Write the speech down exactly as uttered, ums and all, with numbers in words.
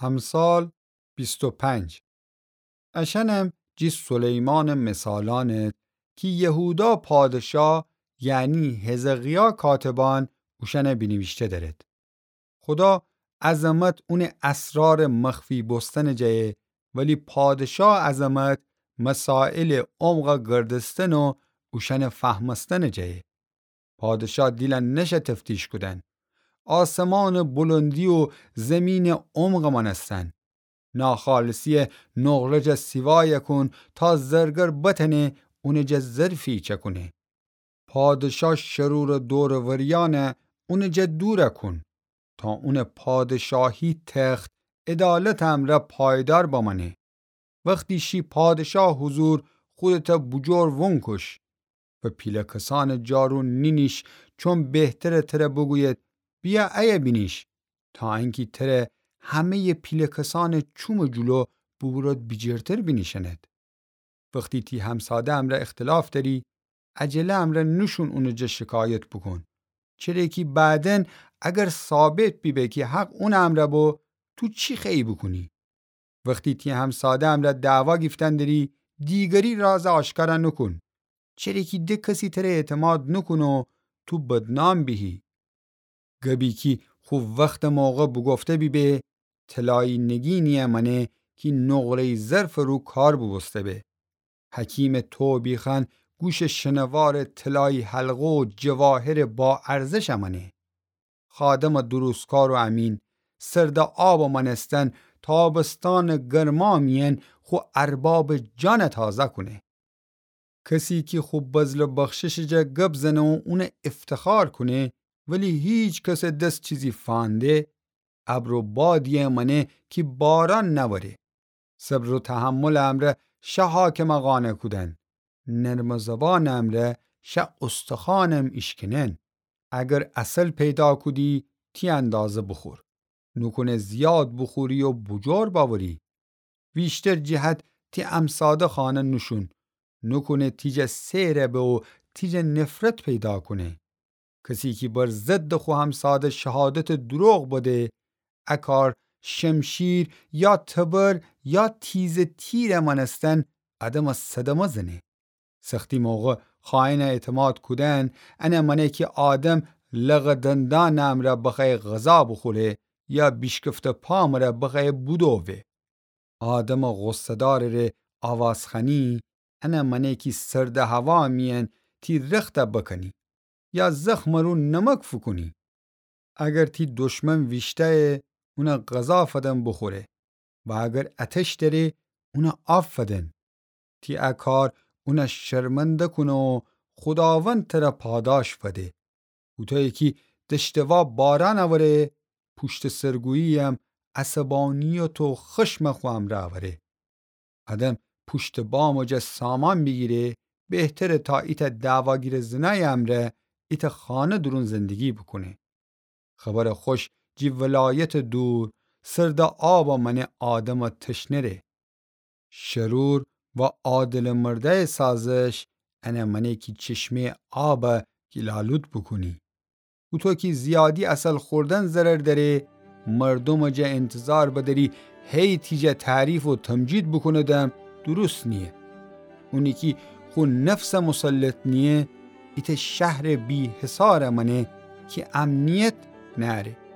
امثال بیست و پنج. اشأنم جی سلیمانٚ مثالأنه کی یهودا پادشا، یعنی حزقیا کاتبأن اوشأنه بینیویشته دأرد. خودا عظمت اونٚ اسرارٚ مخفی بوستنٚ جایه، ولی پادشا عظمت مسائلٚ عمقَ گردستن و اوشأنٚ فهمستنٚ جایه. پادشا دیلَ نشه تفتیش کودن. آسمانٚ بلندی و زیمینٚ عمقَ مأنستن. ناخالصی‌یه نقره جا سیوایَ کون تا زرگر بتأنه اونٚ جا ظرفی چأکونه. پادشا شرورٚ دور و وریأنَ اونٚ جا دورَ کون تا اونٚ پادشاهی تخت عدالتٚ امرأ پایدار بمأنه. وختی شی پادشا حضور خودتَ بوجور وونکوش و پیله کسأنٚ جارو نینیش، چون بهتره تره بوگوید بیا ایه بینیش، تا انکی تره همه‌یٚ پیله کسأنٚ چومٚ جلو بوبورد بیجیرتر بینیشأند. وختی تی همساده امرأ اختلاف دأری، عجله امرأ نوشون اونٚ جا شکایت بوکون. چره کی بعداً اگر ثابت بیبه کی حق اونٚ امرأ بو، تو چی خوأیی بوکونی؟ وختی تی همساده امرأ دعوا گیفتن دأری، دیگری رازَ آشکارَ نوکون. چره کی ده کسی تره اعتماد نوکونه و تو بدنام بیهی. گبی کی خو وختٚ موقع بوگفته بیبه، طلایی نگینی‌یه مأنه کی نقره‌یی ظرفٚ رو کار بوبوسته به. حکیمٚ توبیخأن گوشٚ شنوارٚ طلایی حلقه و جواهرٚ با ارزشَ مأنه. خادمٚ درستکار و امین، سردٚ آبٚ مأنستن تابستانٚ گرما میأن خو اربابٚ جانَ تازه کونه. کسی کی خو بذل و بخششٚ جا گب زنه و اونَ افتخار کونه، ولی هیکسٚ دس چیزی فأنده، ابر و بادی‌یه مأنه کی باران نأوره. صبر و تحملٚ امرأ شه حاکمَ قانع کودن، نرمٚ زبانٚ امرأ شه استخوانم ایشکنن. اگر عسل پیدا کودی، تی اندازه بوخور. نوکونه زیاد بوخوری و بوجور بأوری. ویشتر جهت تی امساده خانه نوشون. نوکونه تی جا سئرَ به و تی جا نفرت پیدا کونه. کسی کی بر ضدٚ خو همساده شهادتٚ دروغ بده، ا کار شمشیر یا تبر یا تیزٚ تیرٚ مأنستن آدمَ صدمه زنه. سختی موقع خائنَ اعتماد کودن، انَ مأنه کی آدم لقٚ دندانٚ امرأ بخوأیه غذا بوخوره یا بیشکفته پا مره بخوأیه بودووه. آدمٚ غصه‌دارٚ ره آواز خوأنی، انَ مأنه کی سردٚ هوا میأن تی رختَ بکنی یا زخمٚ رو نمک فوکونی. اگر تی دشمن ویشتأیه، اونَ غذا فدن بوخوره و اگر اتش دأره، اونَ آب فدن. تی ا کار اونَ شرمنده کونه و خوداوند تره پاداش فده. هوطویی کی دشتٚ وا باران اوره، پوشتٚ سرگویی‌یم عصبانیت و خشمَ خو امرأ اوره. آدم پوشتٚ بامٚ جا سامان بیگیره، بهتره تا ایتأ دعواگیرٚ زنأیٚ امرأ ایتأ خانه دورون زندگی بوکونه. خبرٚ خوش جی ولایتٚ دور، سردٚ آبَ مأنه آدمٚ تشنه ره. شرور و عادلٚ مردأیٚ سازش انَ مأنه کی چشمه‌یٚ آبَ گیل‌آلود بوکونی. هوطو کی زیادی عسل خوردن ضرر دأره، مردومٚ جا انتظار بدأری هی تی جا تعریف و تمجید بوکونیدم، درست نییه. اونی کی خو نفسَ مسلط نییه، ایتأ شهرٚ بی‌حصارَ مأنه کی امنیت نأره.